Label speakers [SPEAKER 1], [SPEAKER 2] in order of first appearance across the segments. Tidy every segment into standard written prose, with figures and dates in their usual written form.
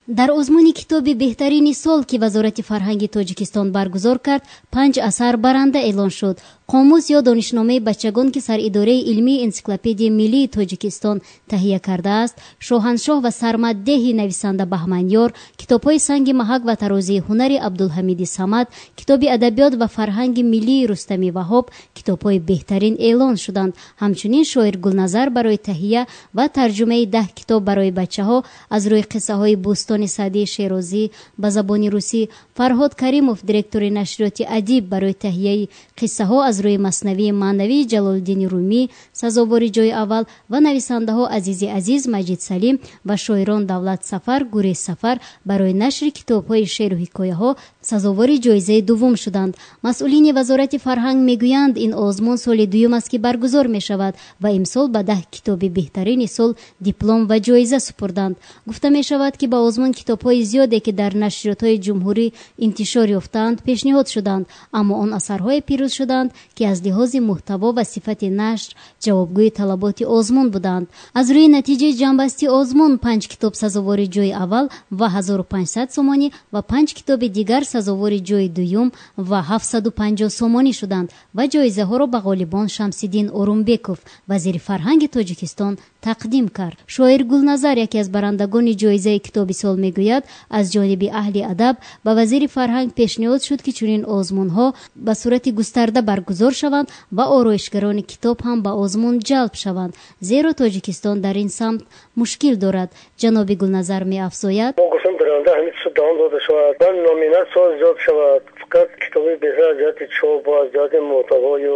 [SPEAKER 1] Дар озмуни китоби беҳтарини сол, ки Вазорати фарҳанги Тоҷикистон баргузор кард, 5 асар баранда эълон шуд. Қомус ё донишномаи бачагон, ки саридораи илмии энсиклопедияи миллии Тоҷикистон таҳия кардааст, Шоҳаншоҳ ва сармаддеҳи нависанда Баҳманёр, китобҳои Санги маҳак ва тарозии ҳунари Абдулҳамиди Самад, китоби адабиёт ва фарҳанги миллии Рустами Ваҳоб китобҳои беҳтарин эълон шуданд. Ҳамчунин шоир Гулназар барои таҳия ва тарҷумаи 10 китоб барои бачаҳо аз рӯи қиссаҳои Бӯстони Саъдии Шерозӣ ба забони русӣ, Фарҳод Каримов, директори нашриёти Адиб, барои таҳияи қиссаҳо аз рӯи маснавии маънавии Ҷалолиддини Румӣ сазовори ҷои аввал ва нависандаҳо Азизи Азиз, Маҷид Салим ва шоирон Давлат Сафар, Гурез Сафар барои нашри китобҳои шеъру ҳикояҳо сазовори ҷоизаи дуввум шуданд. Масъулини Вазорати фарҳанг мегӯянд, ин озмун соли дуюм аст, ки баргузор мешавад ва имсол ба 10 китоби беҳтарини сол диплом ва ҷоиза супурданд. Гуфта мешавад, ки ба озмун китобҳои зиёде, ки дар нашриётҳои ҷумҳурӣ интишор ёфтаанд, пешниҳод шуданд, аммо он асарҳое пирӯз шуданд, ки аз лиҳози муҳтаво ва сифати нашр ҷавобгӯи талаботи озмун буданд. Аз рӯи натиҷаи ҷамъбасти озмун 5 китоб сазовори ҷои аввал ва 1500 сомонӣ ва 5 китоби дигар сазовори ҷои дуюм ва 750 сомонӣ шуданд ва ҷоизаҳоро ба ғолибон Шамсиддин Орумбеков, вазири фарҳанги Тоҷикистон, тақдим кард. Шоир Гулназар, яке аз барандагони ҷоизаи китоби сол, мегӯяд, аз ҷониби аҳли адаб ба вазири фарҳанг пешниҳод шуд, ки чунин озмунҳо ба сурати густарда баргузор шаванд ва ороишгарони китоб ҳам ба озмун ҷалб шаванд, зеро Тоҷикистон дар ин самт мушкил дорад. Ҷаноби Гулназар меафзояд:
[SPEAKER 2] мо гуфтем, дар оянда ҳамин чиз давом дода шавад ва номинатсияҳо зиёд шавад. Фақат китоби беҳтар аз ҷиҳати чоп ва аз ҷиҳати муҳтавою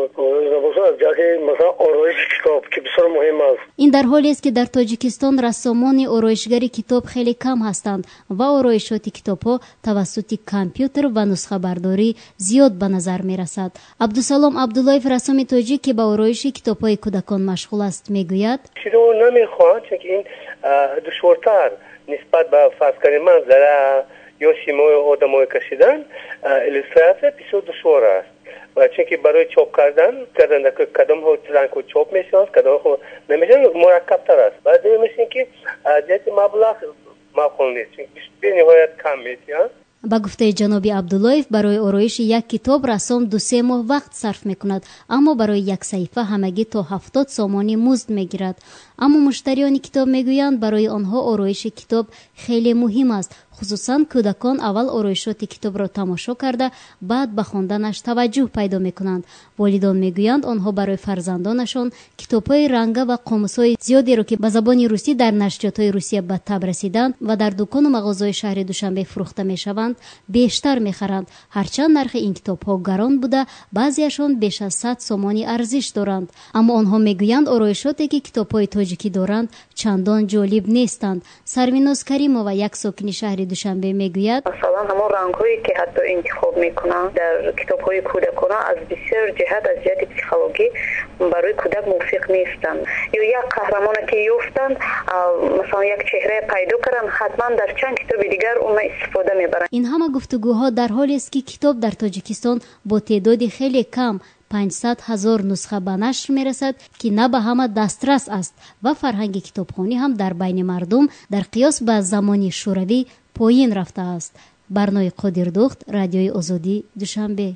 [SPEAKER 2] набошад, аз ҷиҳати, масалан, ороиши китоб, ки бисёр муҳим аст.
[SPEAKER 1] Ин дар ҳолест, ки дар Тоҷикистон рассомони ороишгари китоб хеле кам ҳастанд ва ороишоти китобҳо тавассути компютер ва нусхабардорӣ зиёд ба назар мерасад. Абдусалом Абдуллоев, рассоми тоҷик, ки ба ороиши китобҳои кӯдакон машғул аст, мегӯяд:
[SPEAKER 2] Чиро намехоҳанд, чунки ин душвортар нисбат ба, фарз кардем, манзара ё симои одамое кашидан, иллюстратсия бисёр душвор аст ва чунки барои чоп кардан кадомҳо рангҳо чоп мешаванд, кадомҳо намешаванд, мураккабтар аст. Баъд мешин, ки аз ҷиҳати маблағ маъқул нест, чунки бениҳоят кам метиҳанд.
[SPEAKER 1] Ба гуфтаи ҷаноби Абдуллоев, барои ороиши як китоб рассом 2-се моҳ вақт сарф мекунад, аммо барои як саҳифа ҳамагӣ то 70 сомонӣ музд мегирад. Аммо муштариёни китоб мегӯянд, барои онҳо ороиши китоб хеле муҳим аст. Хусусан кӯдакон аввал ороишоти китобро тамошо карда, баъд ба хонданаш таваҷҷӯҳ пайдо мекунанд. Волидон мегӯянд, онҳо барои фарзандонашон китобҳои ранга ва қомусҳои зиёдеро, ки ба забони русӣ дар нашриётҳои Русия ба таб расиданд ва дар дукону мағозаҳои шаҳри Душанбе фурӯхта мешаванд, бештар мехаранд. Ҳарчанд нархи ин китобҳо гарон буда, баъзеашон беш аз 100 сомонӣ арзиш доранд. Аммо онҳо мегӯянд, ороишоте, ки китобҳои тоҷикӣ доранд, чандон ҷолиб нестанд. Сарвиноз Каримова, як сокини шаҳри Душанбе, мегӯяд:
[SPEAKER 3] Масалан, ҳамон рангҳое, ки ҳатто интихоб мекунанд дар китобҳои кӯдакона, аз бисёр ҷиҳат, аз ҷиҳати психологӣ барои кӯдак мувофиқ нестанд. Ё як қаҳрамоне, ки ёфтанд, масалан, як чеҳрае пайдо карданд, ҳатман дар чанд китоби дигар уна истифода мебаранд.
[SPEAKER 1] Ин ҳама гуфтугӯҳо дар ҳолест, ки китоб дар Тоҷикистон бо теъдоди хеле кам, 500 ҳазор нусха, ба нашр мерасад, ки на ба ҳама дастрас аст ва фарҳанги китобхонӣ ҳам дар байни мардум дар қиёс ба замони Шӯравӣ поин рафтааст. Барнои Қодирдухт, Радиои Озодӣ, Душанбе.